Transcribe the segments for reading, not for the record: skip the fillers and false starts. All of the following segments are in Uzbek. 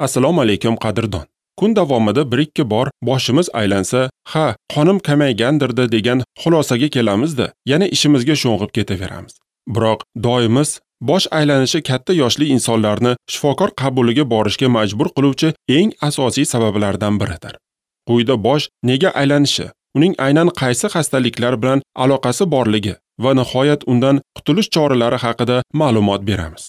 Assalomu alaykum qadrdon. Kun davomida 1-2 bor boshimiz aylansa, ha, qonim kamaygandir-da degan xulosaga kelamizda, yana ishimizga sho'ng'ib ketaveramiz. Biroq doimiz bosh aylanishi katta yoshli insonlarni shifokor qabuliga borishga majbur qiluvchi eng asosiy sabablardan biridir. Quyida bosh nega aylanishi, uning aynan qaysi xastaliklar bilan aloqasi borligi va nihoyat undan qutulish choralari haqida ma'lumot beramiz.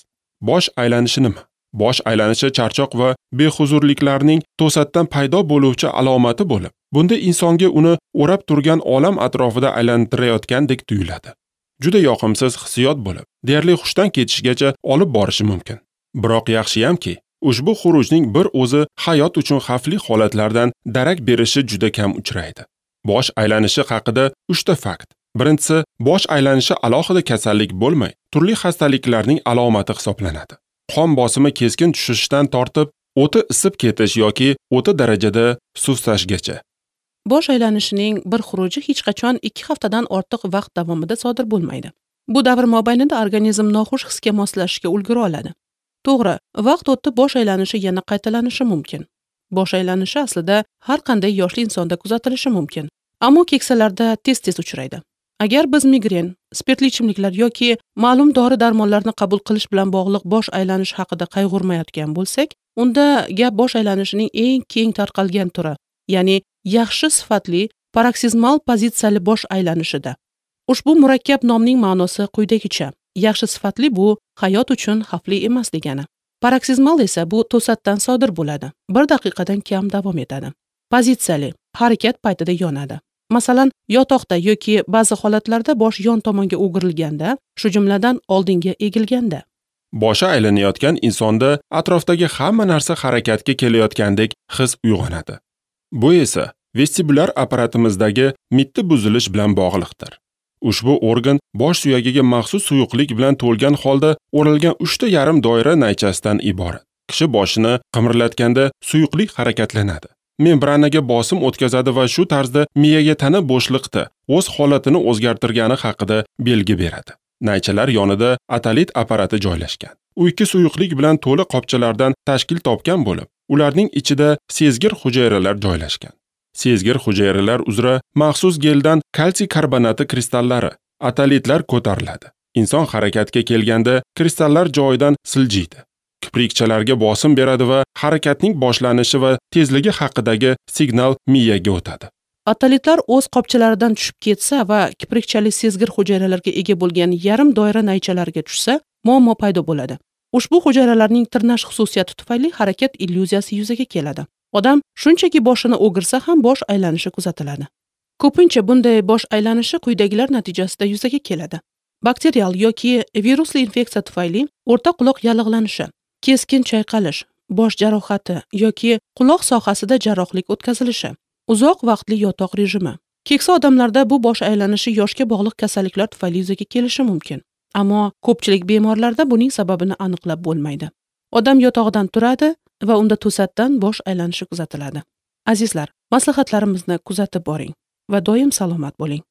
Bosh aylanishi nima? Bosh aylanishi charchoq va behuzurliklarning to'satdan paydo bo'luvchi alomati bo'lib, bunda insonga uni o'rab turgan olam atrofida aylantirayotgandek tuyuladi. Juda yoqimsiz hissiyot bo'lib, deyarli hushdan ketishgacha olib borishi mumkin. Biroq yaxshiyamki, ushbu xurujning bir o'zi hayot uchun xavfli holatlardan darak berishi juda kam uchraydi. Bosh aylanishi haqida 3 ta fakt. Birinchisi, bosh aylanishi alohida kasallik bo'lmay, turli xastaliklarning alomati hisoblanadi. Qon bosimi keskin tushishdan tortib, o'ta isib ketish yoki o'ta darajada sustashgacha. Bosh aylanishining bir xuruji hech qachon 2 haftadan ortiq vaqt davomida sodir bo'lmaydi. Bu davr mobaynida organizm noxush hisga moslashishga ulgura oladi. To'g'ri, vaqt o'tib bosh aylanishi yana qaytalanishi mumkin. Bosh aylanishi aslida har qanday yoshli insonda kuzatilishi mumkin, ammo keksalarda tez-tez uchraydi. Agar biz migren, spirtli ichimliklar yoki ma'lum dori-darmonlarni qabul qilish bilan bog'liq bosh aylanish haqida qayg'urmayotgan bo'lsak, unda gap bosh aylanishining eng keng tarqalgan turi, ya'ni yaxshi sifatli paroksizmal pozitsiyali bosh aylanishida. Ushbu murakkab nomning ma'nosi quyidagicha: yaxshi sifatli bu hayot uchun xavfli emas degani. Paroksizmal esa bu to'satdan sodir bo'ladi, 1 daqiqadan kam davom etadi. Pozitsiyali harakat paytida yonadi. Masalan, yotoqda yoki ba'zi holatlarda bosh yon tomonga o'girilganda, shu jumladan oldinga egilganda. Boshi aylanayotgan insonda atrofdagi hamma narsa harakatga kelayotgandek his uyg'onadi. Bu esa vestibulyar apparatimizdagi mitti buzilish bilan bog'liqdir. Ushbu organ bosh suyagiga maxsus suyuqlik bilan to'lgan holda o'ralgan 3 ta yarim doira naychasidan iborat. Kishi boshini qimirlatganda suyuqlik harakatlanadi. Membranaga bosim o'tkazadi va shu tarzda miyaga tana bo'shliqda o'z holatini o'zgartirgani haqida belgi beradi. Naychalar yonida atalit apparati joylashgan. U ikki suyuqlik bilan to'la qopchalardan tashkil topgan bo'lib, ularning ichida sezgir hujayralar joylashgan. Sezgir hujayralar uzra maxsus geldan kalsiy karbonati kristallari, atalitlar ko'tariladi. Inson harakatga kelganda kristallar joyidan siljiydi. Kiprikchalarga bosim beradi va harakatning boshlanishi va tezligi haqidagi signal miyaga o'tadi. Atalitlar o'z qopchalaridan tushib ketsa va kiprikchali sezgir hujayralarga ega bo'lgan yarim doira naychalarga tushsa, muammo paydo bo'ladi. Ushbu hujayralarning tirnash xususiyati tufayli harakat illyuziyasi yuzaga keladi. Odam shunchaki boshini o'girsa ham bosh aylanishi kuzatiladi. Ko'pincha bunday bosh aylanishi quyidagilar natijasida yuzaga keladi. Bakterial yoki virusli infeksiya tufayli o'rta quloq yallig'lanishi, keskin chayqalish, bosh jarohati yoki quloq sohasida jarrohlik o'tkazilishi, uzoq vaqtli yotoq rejimi. Keksa odamlarda bu bosh aylanishi yoshga bog'liq kasalliklar tufayli yuzaga kelishi mumkin. Ammo ko'pchilik bemorlarda buning sababini aniqlab bo'lmaydi. Odam yotog'idan turadi va unda to'satdan bosh aylanishi kuzatiladi. Azizlar, maslahatlarimizni kuzatib boring va doim salomat bo'ling.